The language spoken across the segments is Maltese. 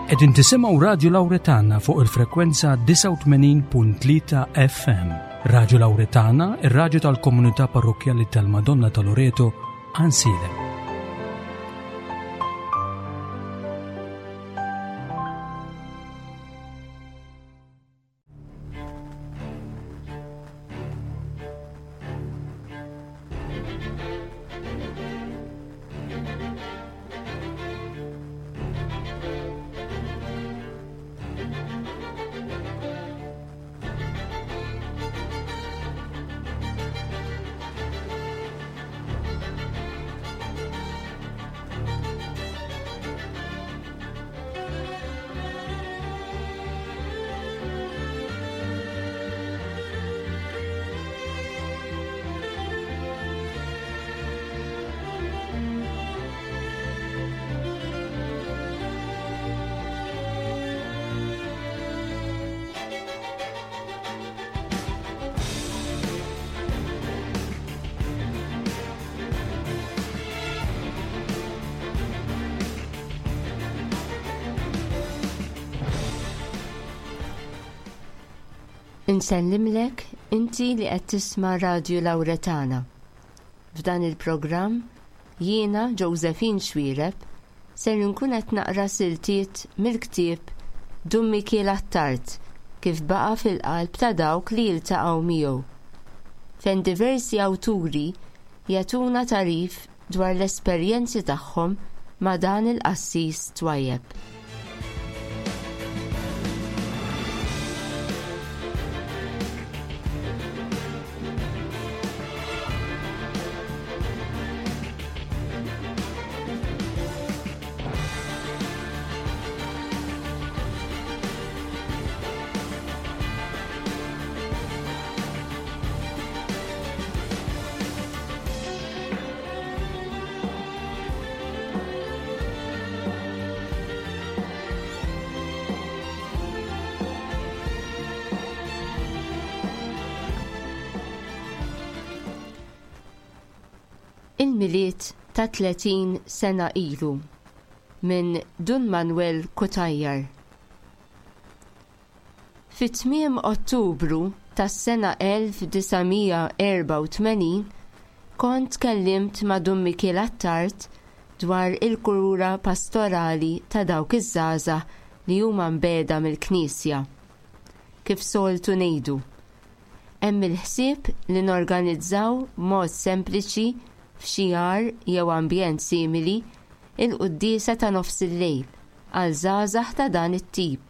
Qegħdin tisimgħu Radju Lawretana fuq il-frekwenza 89.3 FM. Radju Lawretana, ir-radju tal-komunità parrokkjali tal-Madonna ta' Loreto, Ansilem. Insellimlek inti li qed tisma' Radju Lawretana. F'dan il-programm jiena Josephine Xuereb ser inkun qed naqra siltiet mill-ktieb Dun Mikiel Attard kif baqa' fil-qalb ta' dawk li jiltaqgħu miegħu. Fejn diversi awturi jagħtuna tagħrif dwar l-esperjenzi tagħhom ma' dan il-qassis twajjeb. Il-Milied ta' 30 sena ilu minn Dun Manuel Cutajar. Fi tmiem Ottubru tas-sena 1984 kont tkellimt ma' Dun Mikiel Attard dwar il-kura pastorali ta' dawk iż-żgħażagħ li huma mbiegħda mill-Knisja. Kif soltu ngħidu. Hemm il-ħsieb li norganizzaw b'mod sempliċi f'xi għar jew ambjent simili il-quddiesa ta' nofsillejl għal żgħażagħ ta' dan it-tip,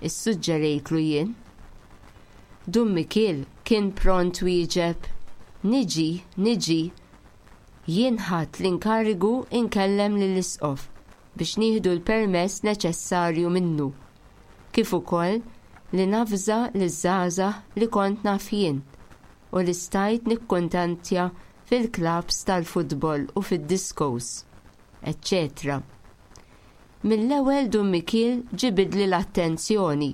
issuġġerejtlu jien. Dun Mikiel kien pront wieġeb, Niġi, niġi. Jien ħadt l-inkarigu nkellem lill-Isqof biex nieħdu l-permess neċessarju minnu, kif ukoll li navża liż-żgħażagħ li kont naf jien u li stajt nikkuntantja fil-klabbs tal-futbol u fid-discos, eċċetera Mill-ewwel Dun Mikiel ġibidli l-attenzjoni.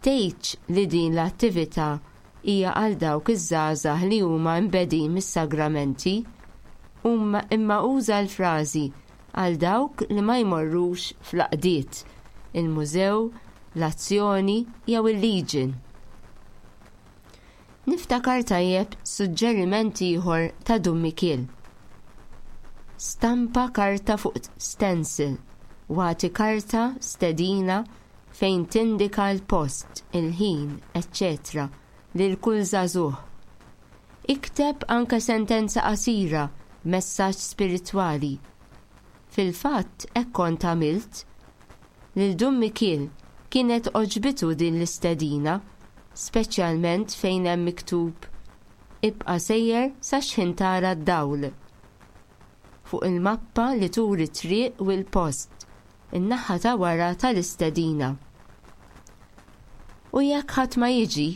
Tgħidx li din l-attività hija għal dawk iż-żgħażagħ li huma mbegħdin mis-sagramenti, imma uża l-frażi għal dawk li ma jmorrux fl-għaqdiet, il-mużew, l-Azzjoni jew il-Legion. Niftakar tajjeb suġġeriment ieħor ta' Dun Mikiel. Stampa karta fuq stencil u agħti karta stedina fejn tindika l-post, il-ħin, eċċetera lil kull żagħżugħ. Ikteb anke sentenza qasira b'messaġġ spiritwali. Fil-fatt hekk kont għamilt. Lil Dun Mikiel kienet għoġbitu din l-istedina, speċjalment fejn hemm miktub, Ibqa' sejjer sa x'ħin tara d-dawl. Fuq il-mappa li turi t-triq u l-post, in-naħa ta' wara tal-istedina. U jekk ħadd ma jiġi?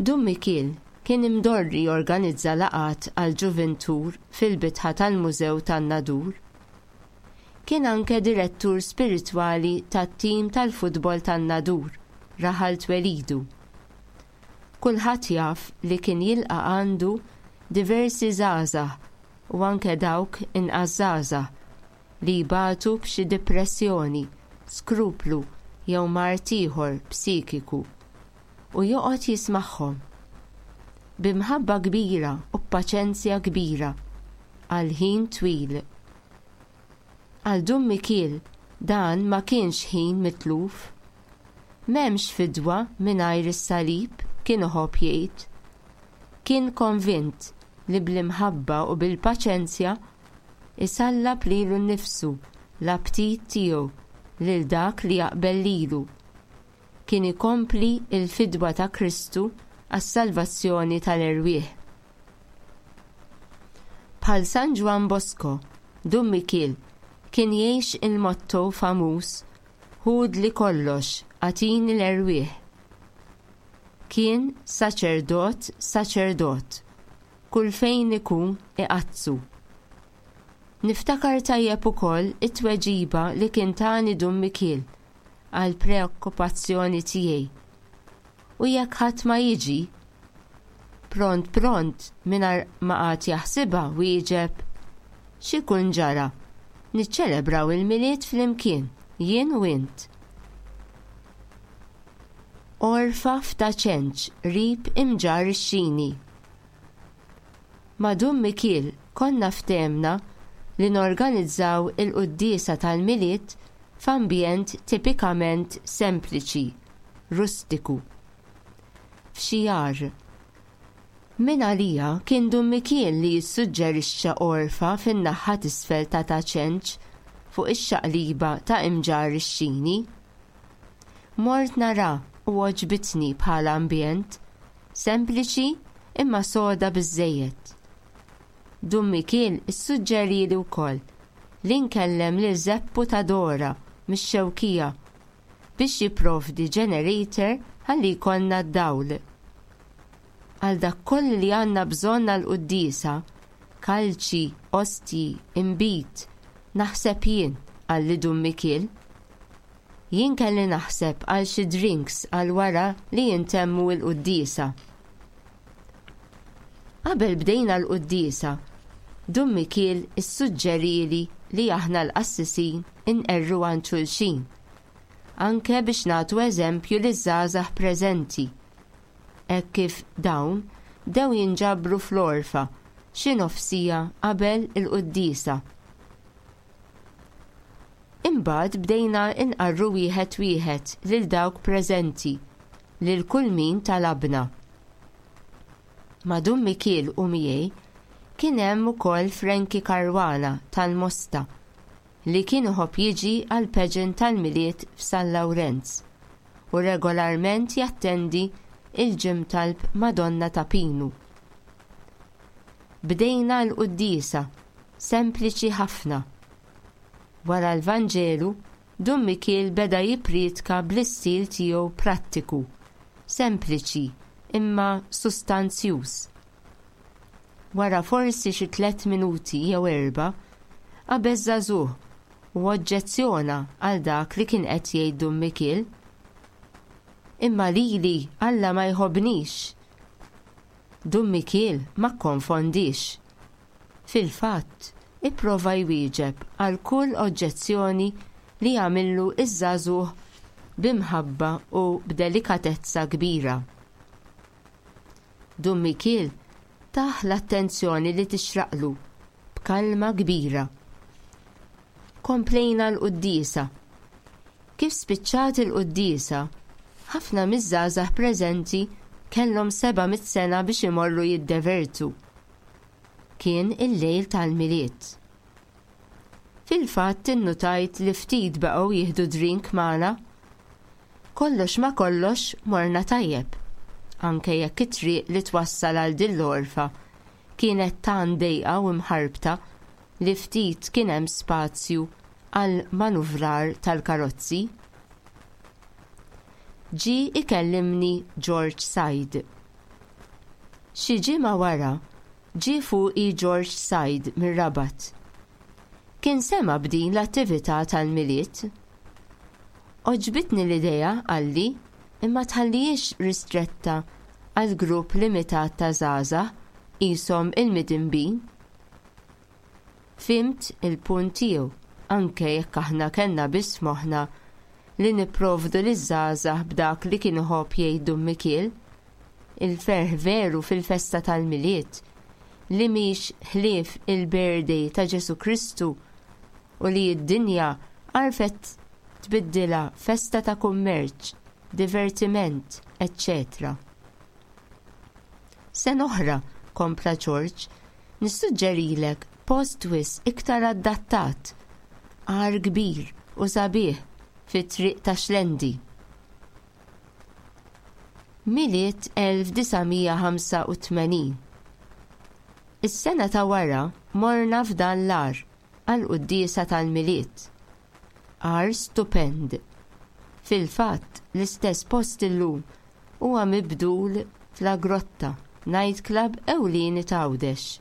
Dun Mikiel kien imdorri jorganizza laqgħat għall-ġuvintur fil-bitħa tal-Mużew tan-Nadur. Kien anke direttur spiritwali tat-tim tal-futbol tan-Nadur, raħal twelidu. Kulħadd jaf li kien jilqa' għandu diversi żgħażagħ u anke dawk inqas żgħażagħ. li jbatu b'xi dipressjoni, skruplu jew mard ieħor psikiku, u joqgħod jismagħhom. Bi mħabba kbira u b'paċenzja kbira, għal ħin twil. Għal Dun Mikiel dan ma kienx ħin mitluf. M'hemmx fidwa mingħajr is-salib, kien iħobb jgħid. Kien konvint li bl-imħabba u bil-paċenzja isallab lilu nnifsu, l-aptit tiegħu, lil dak li jaqbel lilu. Kien ikompli l-fidwa ta' Kristu għas-salvazzjoni tal-erwieħ. Bħal San Ġwann Bosco, Dun Mikiel kien jgħix il-motto famuż Ħudli kollox, agħtini l-erwieħ. Kien saċerdot saċerdot, kull fejn ikun iqaddsu. Niftakar tajjeb ukoll it-tweġiba li kien tani Dun Mikiel għall-preokkupazzjoni tiegħi. U jekk ħadd ma jiġi? Pront pront, mingħajr ma qagħad jaħsibha, wieġeb, X'ikun ġara? Niċċelebraw il-Milied flimkien, jien u int. Għorfa f'Ta' Ċenċ qrib Imġarr ix-Xini. Ma' Dun Mikiel konna ftehemna li norganizzaw il-quddiesa tal-Milied f'ambjent tipikament sempliċi, rustiku. F'xi għar. Minn għalija kien Dun Mikiel li jissuġġerixxa għorfa fin-naħha t'isfel ta' Ta' Ċenċ fuq ix-xaqliba ta' Imġarr ix-Xini. Mort nara u għoġbitni bħala ambjent, sempliċi imma soda biżżejjed. Dun Mikiel issuġġerieli wkoll li nkellem lil Żeppu ta' Dora mix-Xewkija biex jipprovdi generator ħalli jkollna d-dawl. Għal dak kollu li għandna bżonn għall-quddiesa, kalċi, ostji, inbid, naħseb jien, qalli Dun Mikiel. Jien kelli naħseb għal xi drinks għal wara li jintemmu l-quddiesa. Qabel bdejna l-quddiesa, Dun Mikiel issuġġerieli li aħna l-qassisin inqerru għand xulxin, anke biex nagħtu eżempju liż-żgħażagħ preżenti, hekk kif dawn bdew jinġabru fl-għorfa xi nofs siegħa qabel il-quddiesa. Imbagħad bdejna nqarru wieħed wieħed lil dawk preżenti, lil kull min talabna. Ma' Dun Mikiel u miegħi kien hemm ukoll Frankie Caruana tal-Mosta li kien iħobb jiġi għall-pageant tal-Milied f'San Lawrenz u regolarment jattendi l-ġimtalb Madonna ta' Pinu. Bdejna l-quddiesa, sempliċi ħafna. Wara l-Vanġelu, Dun Mikiel beda jipprietka bl-istil tiegħu prattiku, sempliċi imma sustanzjuż. Wara forsi xi tlett minuti jew erbgħa, qabeż żagħżugħ u oġġezzjona għal dak li kien qed jgħid Dun Mikiel. Imma lili Alla ma jħobbnix! Dun Mikiel ma kkonfondiex. Fil-fatt, ipprova jwieġeb għal kull oġġezzjoni li għamillu ż-żagħżugħ bi mħabba u b'delikatezza kbira. Dun Mikiel tah l-attenzjoni li tixraqlu b'kalma kbira. Komplejna l-quddiesa. Kif spiċċat il-quddiesa, ħafna miż-żgħażagħ preżenti kellhom 700 sena biex imorru jiddevertu. Kien il-lejl tal-Milied. Fil-fatt innutajt li ftit baqgħu jieħdu drink magħna. Kollox ma' kollox morna tajjeb, anke jekk it-triq li twassal għal din l-għorfa kienet tant dejqa u mħarbta li ftit kien hemm spazju għall-manuvrar tal-karozzi. Ġie ikellimni George Said. Xi ġimgħa wara ġie fuqi George Said mir-Rabat. Kien sema' b'din l-attività tal-Milied. Għoġbitni l-idea, qalli, imma tħallihiex ristretta għal grupp limitat ta' żgħażagħ qishom il-midinbin. Fhimt il-punt tiegħu, Anke jekk aħna kellna biss f'moħħna li nipprovdu liż-żgħażagħ b'dak li kien iħobb jgħid Dun Mikiel, il-ferħ veru fil-festa tal-Milied, li mhix ħlief il-birthday ta' Ġesù Kristu u li d-dinja għarfet tbiddilha festa ta' kummerċ, divertiment, eċċetera. Sena oħra, kompla Ġorġ, nissuġġerilek post wisq iktar adattat, għar kbir u sabiħ fit-triq ta' Xlendi. Milied 1985. Is-sena ta' wara morna f'dan l-għar għall-quddiesa tal-Milied. Għar stupend. Fil-fatt, l-istess post illum huwa mibdul f'La Grotta, night club ewlieni t'Għawdex.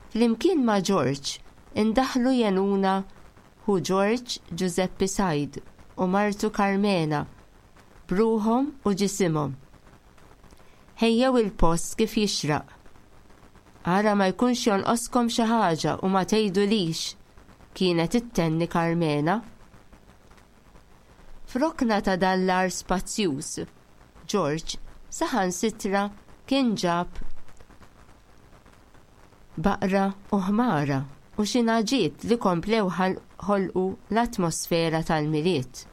Flimkien ma' George indaħlu jgħinuna ħu George Ġużeppi Said u martu Karmena b'ruħhom u ġisimhom. Ħejjew il-post kif jixraq. Ara ma jkunx jonqoskom xi ħaġa u ma tgħidulix, kienet ittenni Karmena. F'rokna ta' dan l-għar spazjuż, George saħansitra kien ġab baqra u ħmara u xi nagħġiet li komplew ħolqu l-atmosfera tal-Milied.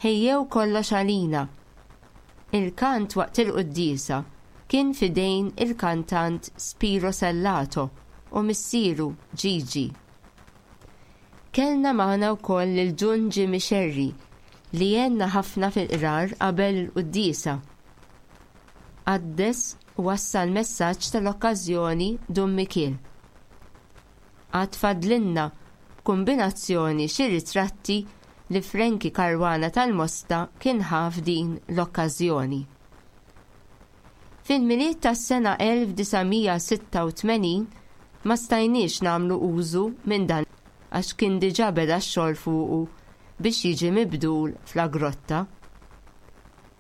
Ħejjew kollox għalina. Il-kant waqt il-quddiesa kien f'idejn il-kantant Spiro Sellato u missieru Gigi. Kellna magħna wkoll lil Dun Jimmy Scerri li għenna ħafna fil-qrar qabel il-quddiesa. Qaddes u wassal messaġġ tal-okkażjoni Dun Mikiel. Għad fadlilna b'kumbinazzjoni xi ritratti li Frankie Caruana tal-Mosta kien ħa f'din l-okkażjoni. Fil-Milied tas-sena 1986 ma stajniex nagħmlu użu minn dan għax kien diġà beda x-xogħol fuqu biex jiġi mibdul f'La Grotta.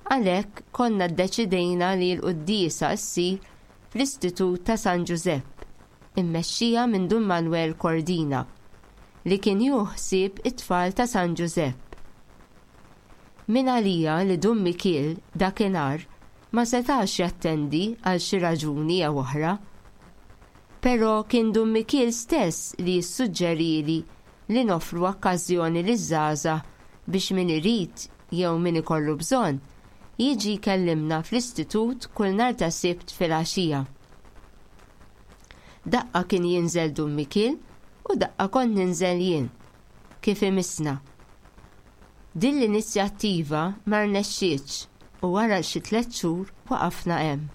Għalhekk konna ddeċidejna li l-quddiesa ssir fl-Istitut ta' San Ġużepp, immexxija minn Dun Manwel Cordina, li kien jieħu ħsieb it-tfal ta' San Ġużepp. Mingħalija li Dun Mikiel dakinhar ma setax jattendi għal xi raġuni jew oħra. Però kien Dun Mikiel stess li ssuġġerieli li noffru okkażjoni liż-żgħażagħ biex min irid jew min ikollu bżonn, jiġi jkellimna fl-Istitut kull nhar ta' Sibt filgħaxija. Daqqa kien jinżel Dun Mikiel u daqqa kont ninżel jien. kif imissna. Din l-inizjattiva ma rnexxietx u wara xi tlett xhur waqafna hemm.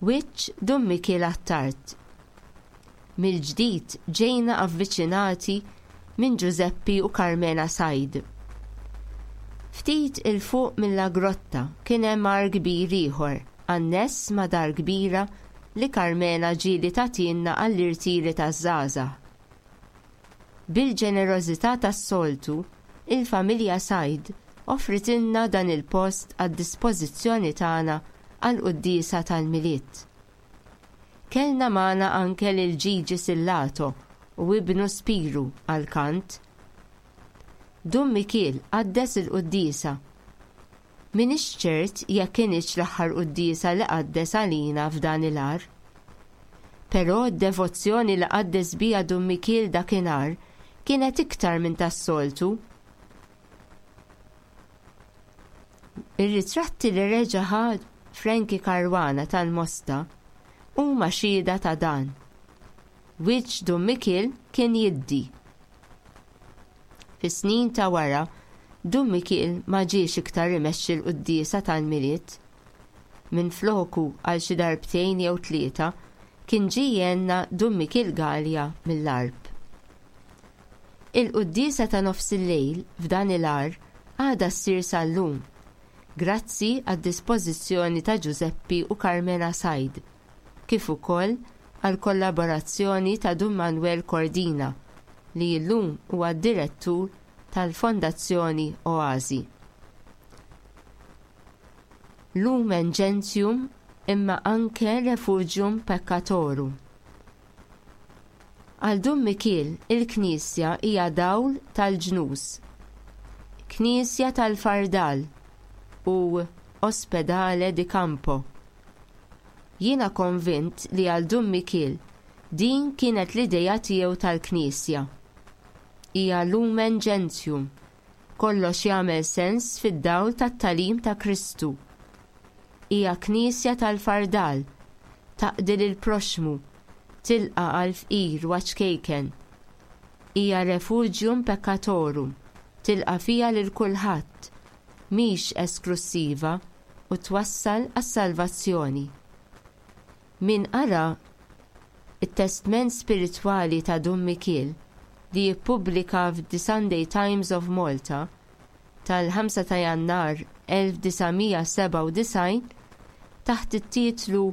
Wiċċ Dun Mikiel Attard. Mill-ġdid ġejna avviċinati minn Ġużeppi u Karmena Said. Ftit 'il fuq mill-La Grotta kien hemm għar kbir ieħor anness ma' dar kbira li Karmena ġieli tagħtielna għall-irtiri taż-żgħażagħ. Bil-ġenerożità tas-soltu, il-familja Said offritilna dan il-post għad-dispożizzjoni tagħna għall-quddiesa tal-Milied. Kellna magħna anke lil Gigi Sillato u ibnu Spiru għall-kant. Dun Mikiel qaddes il-quddiesa. M'iniex ċert jekk kinitx l-aħħar quddiesa li qaddes għalina f'dan il-għar. Però d-devozzjoni li qaddes biha Dun Mikiel dakinhar kienet iktar minn tas-soltu. Ir-ritratti li reġa' ħa Frankie Caruana tal-Mosta huma xhieda ta' dan. Wiċċ Dun Mikiel kien jiddi. Fis-snin ta' wara, Dun Mikiel ma ġiex iktar imexxi l-quddiesa tal-Milied. Minfloku għal xi darbtejn jew tlieta kien ġie jgħinna Dun Mikiel Galea mill-Għarb. Il-quddiesa ta' nofsillejl f'dan il-għar għadha ssir sal-lum, grazzi għad-dispożizzjoni ta' Ġużeppi u Karmena Said, kif ukoll għall-kollaborazzjoni ta' Dun Manwel Cordina, li llum huwa d-Direttur tal-Fondazzjoni Oasi. Lumen Gentium imma anke Refugium Peccatorum. Għal Dun Mikiel il-Knisja hija dawl tal-ġnus, Knisja tal-fardal u Ospedale di Campo. Jiena konvint li għal Dun Mikiel din kienet l-idea tiegħu tal-Knisja. Hija lumen gentium, kollox jagħmel sens fid-dawl tat-tagħlim ta' Kristu. Hija Knisja tal-fardal, taqdi lill-proxxmu, tilqa' għall-fqir u għaċ-ċkejken. Hija refugium peccatorum, tilqa' fiha lil kulħadd, mhix esklussiva u twassal għas-salvazzjoni. Min qara t-testment spiritwali ta' Dun Mikiel li ppubblika f'The Sunday Times of Malta tal-5 ta' Jannar 1997 taħt it-titlu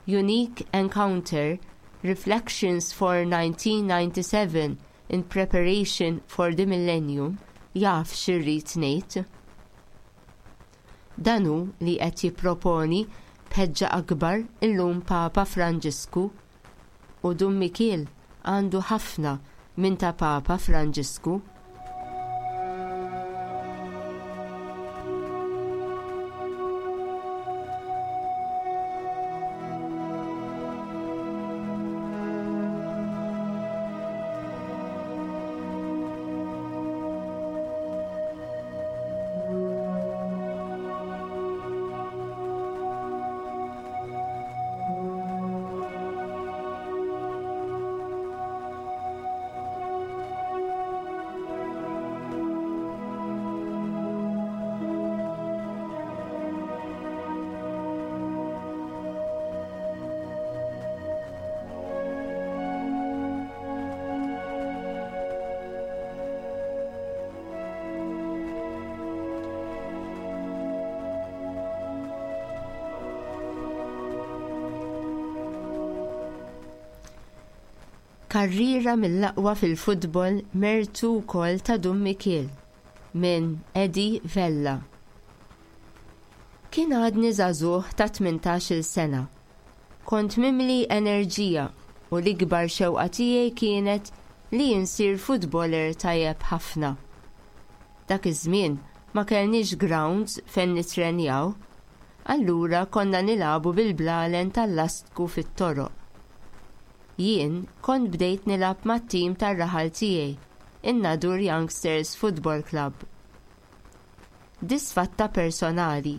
Unique Encounter, Reflections for 1997 in Preparation for the Millennium jaf x'irrid ngħid. Dan hu li qed jipproponi b'ħeġġa akbar illum Papa Franġisku. U Dun Mikiel għandu ħafna minn ta' Papa Franġisku. Karriera mill-aqwa fil-futbol mertu wkoll ta' Dun Mikiel minn Eddie Vella. Kien għadni żagħżugħ ta' 18-il sena. Kont mimli enerġija u l-ikbar xewqa tiegħi kienet li insir futboler tajjeb ħafna. Dak iż-żmien ma kellniex grounds fejn nittrenjaw, allura konna nilagħbu bil-blalen tal-lastku fit-toroq. Jien kont bdejt nilgħab mat-tim tar-raħal tiegħi, in-Nadur Youngsters Football Club. Disfatta personali.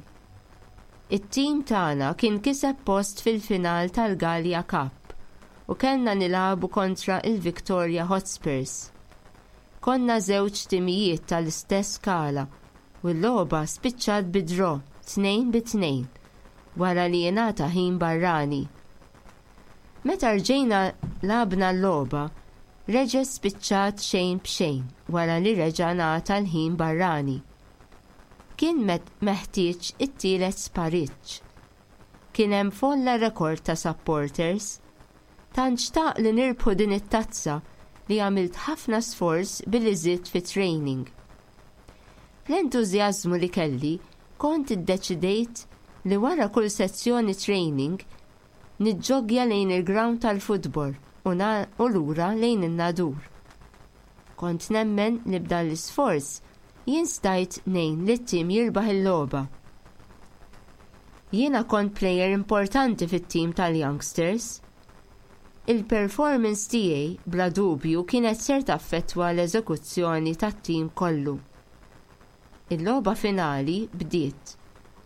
It-tim tagħna kien kiseb post fil-final tal-Gallia Cup u kellna nilagħbu kontra l-Victoria Hotspurs. Konna żewġ timijiet tal-istess skala u l-logħba spiċċat bi draw tnejn bi tnejn wara li ingħata ħin barrani. Meta rġejna lgħabna l-logħba, reġgħet spiċċat xejn b'xejn wara li reġa' ngħata l-ħin barrani. Kien meħtieġ it-tielet spariġġ. Kien hemm folla rekord ta' supporters. Tant xtaq li nirbħu din it-tazza li għamilt ħafna sforz billi żidt fit-training. Bl-entużjażmu li kelli, kont iddeċidejt li wara kull sezzjoni training niġġoggja lejn il-grawnd tal-futbol u lura lejn in-Nadur. Kont nemmen li b'dan l-isforz jien stajt ngħin lit-tim jirbaħ il-logħba. Jiena kont plejer importanti fit-tim tal-Youngsters. Il-performance tiegħi bla dubju kienet ser taffettwa l-eżekuzzjoni tat-tim kollu. Il-logħba finali bdiet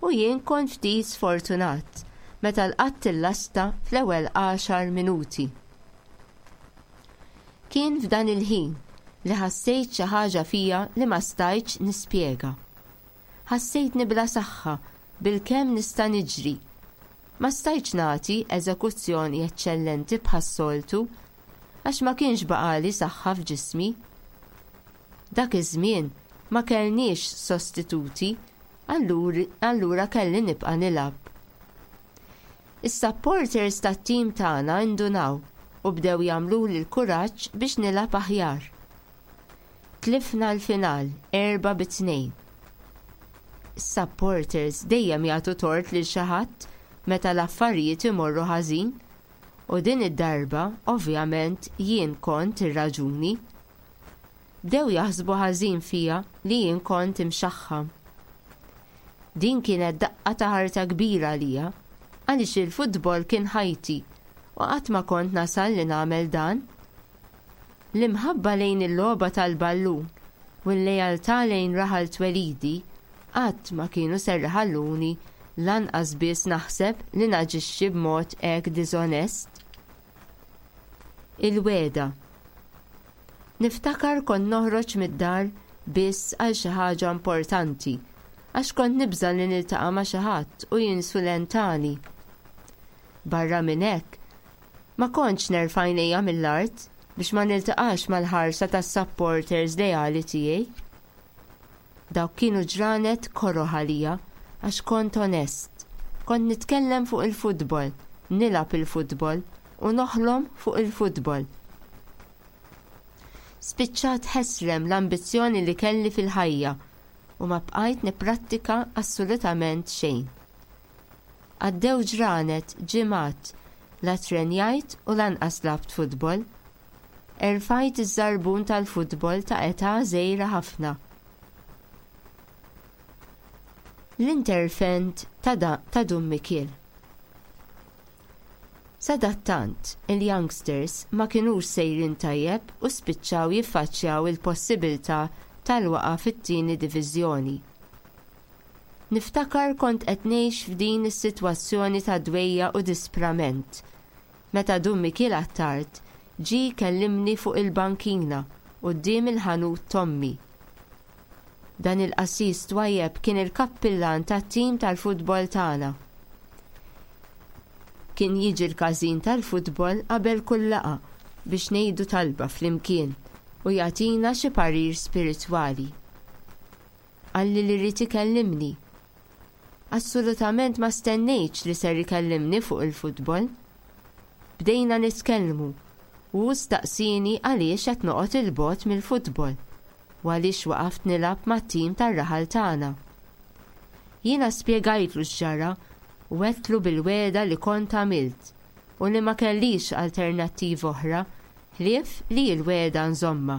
u jien kont ftit sfortunat meta lqatt il-lasta fl-ewwel għaxar minuti. Kien f'dan il-ħin li ħassejt xi ħaġa fija li ma stajtx nispjega. Ħassejtni bla saħħa, bilkemm nista' niġri. Ma stajtx nagħti eżekuzzjoni eċċellenti bħas-soltu għax ma kienx baqagħli saħħa f'ġismi. Dak iż-żmien ma kellniex sostituti allura kelli nibqa' nilgħab. Is-supporters tat-tim tagħna indunaw u bdew jagħmluli l-kuraġġ biex nilgħab aħjar. Tlifna l-final 4 bi 2. Is-supporters dejjem jagħtu tort lil xi ħadd meta l-affarijiet imorru ħażin. U din id-darba, ovvjament, jien kont ir-raġuni. Bdew jaħsbu ħażin fija li jien kont imxaħħam. Din kienet daqqa ta' ħarta kbira għalija, għaliex il-futbol kien ħajti u qatt ma kont nasal li nagħmel dan. L-imħabba lejn il-logħba tal-ballun u l-lealtà lejn raħal twelidi qatt ma kienu ser iħalluni lanqas biss naħseb li naġixxi b'mod hekk diżonest. Il-wegħda. Niftakar kont noħroġ mid-dar biss għal xi ħaġa importanti għax kont nibża' li niltaqa' ma' xi ħadd u jinsulentani. Barra minn hekk, ma kontx nerfa' għajnejja mill-art biex ma niltaqax mal-ħarsa tas-supporters leali tiegħi. Dawk kienu ġranet koroh għalija għax kont onest. Kont nitkellem fuq il-futbol, nilgħab il-futbol u noħlom fuq il-futbol. Spiċċat ħesrem l-ambizzjoni li kelli fil-ħajja u ma bqajt nipprattika assolutament xejn. Għaddew ġranet, ġimgħat, la ttrenjajt u lanqas lgħabt futbol. Erfajt iż-żarbun tal-futbol ta' età żgħira ħafna. L-intervent ta' Dun Mikiel. Sadattant, il-youngsters ma kinux sejrin tajjeb u spiċċaw jiffaċċjaw il-possibilità tal-waqgħa fit-tieni diviżjoni. Niftakar kont qed ngħix f'din is-sitwazzjoni ta' dwejjaq u disprament meta Dun Mikiel Attard ġie jkellimni fuq il-bankina quddiem il-ħanut t'ommi. Dan il-qassis twajjeb kien il-kappillan tat-tim tal-futbol tagħna. Kien jiġi l-każin tal-futbol qabel kull laqgħa biex ngħidu talba flimkien u jagħtina xi parir spiritwali. Qalli li ried ikellimni. Assolutament ma stennejtx li ser ikellimni fuq il-futbol. Bdejna nitkellmu u hu staqsieni għaliex qed noqgħod 'il bogħod mill-futbol u għaliex waqaft nilgħab mat-tim tar-raħal tagħna. Jiena spjegajtlu x'ġara u għedtlu bil-wegħda li kont għamilt u li ma kellix alternattiva oħra ħlief li l-wegħda nżommha.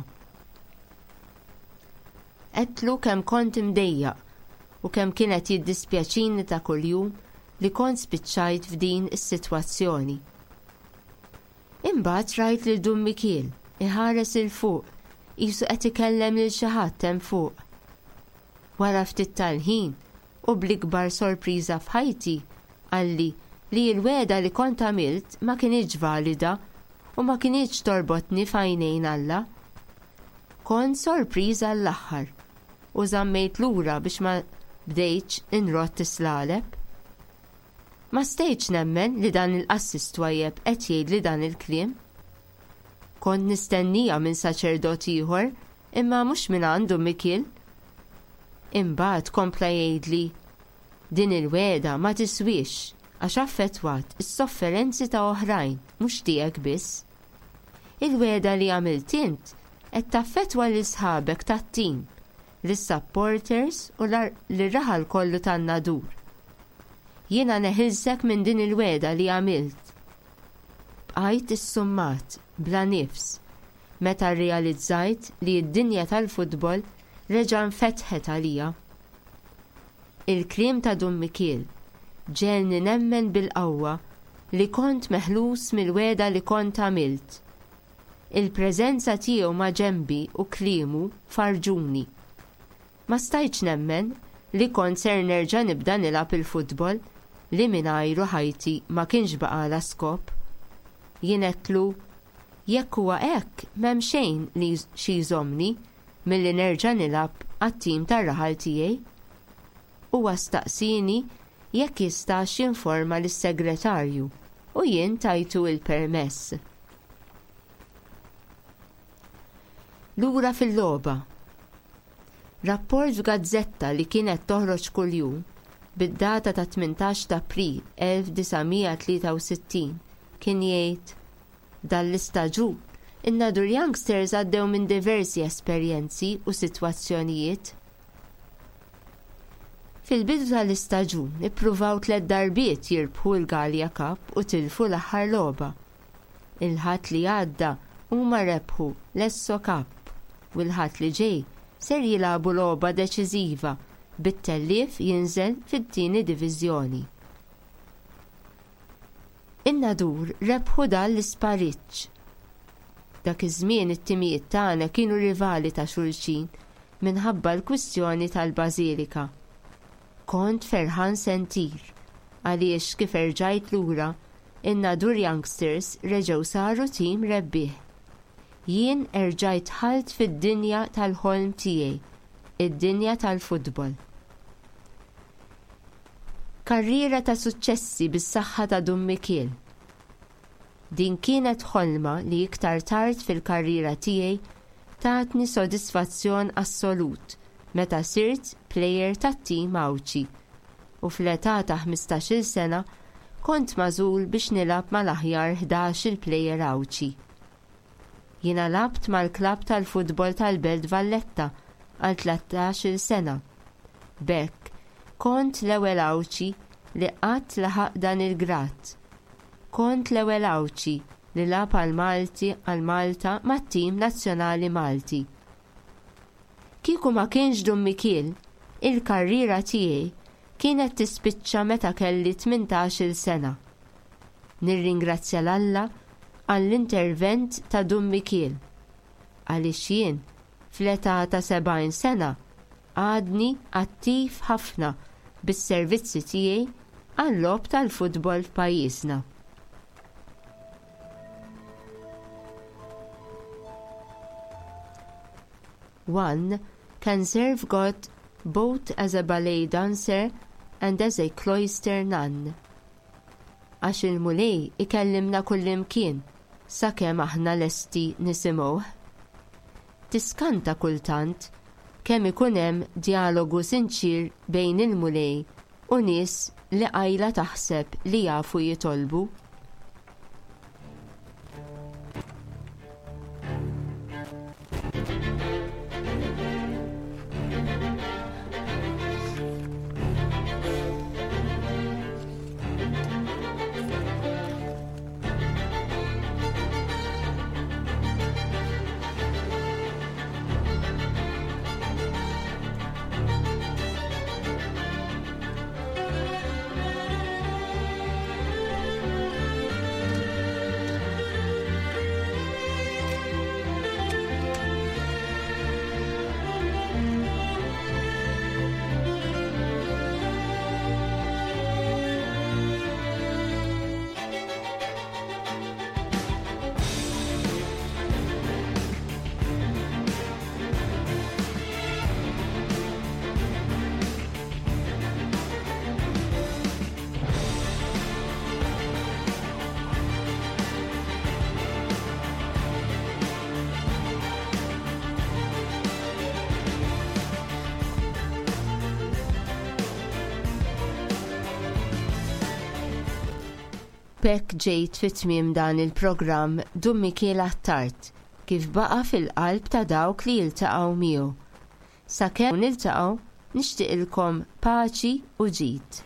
Għedtlu kemm kont imdejjaq u kemm kien qed jiddispjaċini ta' kuljum li kont spiċċajt f'din is-sitwazzjoni. Imbagħad rajt lil Dun Mikiel iħares 'il fuq qisu qed ikellem lil xi ħadd hemm fuq. Wara ftit tal-ħin, u bl-ikbar sorpriża f'ħajti, qalli li l-wegħda li kont għamilt ma kinitx valida u ma kinitx torbotni f'għajnejn Alla. Kont sorpriż għall-aħħar u żammejt lura biex ma bdejtx inrott is-slaleb. Ma stajtx nemmen li dan il-qassis twajjeb qed jgħidli dan il-kliem. Kont nistenniha minn saċerdot ieħor imma mhux mingħand Dun Mikiel. Imbagħad kompla jgħidli, Din il-wegħda ma tiswiex għax affettwat is-sofferenzi ta' oħrajn mhux tiegħek biss. Il-wegħda li għamilt int qed taffettwa lil sħabek tat-tim, lis-supporters u lir-raħal kollu tan-Nadur. Jiena neħilsek minn din il-wegħda li għamilt. Bqajt issummat, bla nifs, meta rrealizzajt li d-dinja tal-futbol reġa' nfetħet għalija. Il-kliem ta' Dun Mikiel ġegħelni nemmen bil-qawwa li kont meħlus mill-wegħda li kont għamilt. Il-preżenza tiegħu maġenbi u kliemu farrġuni. Ma stajtx nemmen li kont ser nerġa' nibda nilgħab il-futbol li mingħajru ħajti ma kienx baqgħalha skop. Jien għedtlu, Jekk huwa hekk m'hemm xejn li xi jżommni milli nerġa' nilgħab għat-tim tar-raħal tiegħi. Huwa staqsieni jekk jistax jinforma lis-segretarju u jien tajtu l-permess. Lura fil-logħba. Rapport f'gazzetta li kienet toħroġ kuljum, bid-data ta' 18 t'April 1963, kien jgħid, Dan l-istaġun, in-Nadur Youngsters għaddew minn diversi esperjenzi u sitwazzjonijiet. Fil-bidu tal-istaġun ippruvaw tlett darbiet jirbħu l-Galea Cup u tilfu l-aħħar logħba. Il-Ħadd li għadda huma rebħu l-Esso Cup u l-Ħadd li ġej ser jilagħbu logħba deċiżiva bit-tellief jinżel fit-tieni diviżjoni. In-Nadur rebħu dan l-ispariġġ. Dak iż-żmien it-timijiet tagħna kienu rivali ta' xulxin minħabba l-kwistjoni tal-Bażilika. Kont ferħan se ntir għaliex kif erġajt lura, in-Nadur Youngsters reġgħu saru tim rebbieħ. Jien erġajt dħalt fid-dinja tal-ħolm tiegħi, id-dinja tal-futbol. Karriera ta' suċċessi bis-saħħa ta' Dun Mikiel. Din kienet ħolma li iktar tard fil-karriera tiegħi tatni sodisfazzjon assolut meta sirt plejer tat-tim Għawdxi u fl-età ta' ħmistax-il sena kont magħżul biex nilgħab mal-aħjar ħdax-il plejer Għawdxi. Jiena lgħabt mal-klabb tal-futbol tal-Belt Valletta għal tlettax-il sena. B'hekk, kont l-ewwel Għawdxi li qatt laħaq dan il-grad. Kont l-ewwel Għawdxi li lagħab għal Malti għal Malta mat-tim nazzjonali Malti. Kieku ma kienx Dun Mikiel, il-karriera tiegħi kienet tispiċċa meta kelli tmintax-il sena. Nirringrazzja 'l Alla għall-intervent ta' Dun Mikiel, għaliex jien, fl-età ta' 70 sena, għadni attiv ħafna bis-servizzi tiegħi għal-logħob tal-futbol f'pajjiżna. One can serve God both as a ballet dancer and as a cloister nun. Għax il-Mulej ikellimna kullimkien sakemm aħna lesti nisimgħuh. Tiskanta kultant kemm ikun hemm djalogu sinċier bejn il-Mulej u nies li qajla taħseb li jafu jitolbu. B'hekk ġejt fi tmiem dan il-programm Dun Mikiel Attard kif baqa' fil-qalb ta' dawk li jiltaqgħu miegħu. Sakemm niltaqgħu nixtieqilkom paċi u ġid.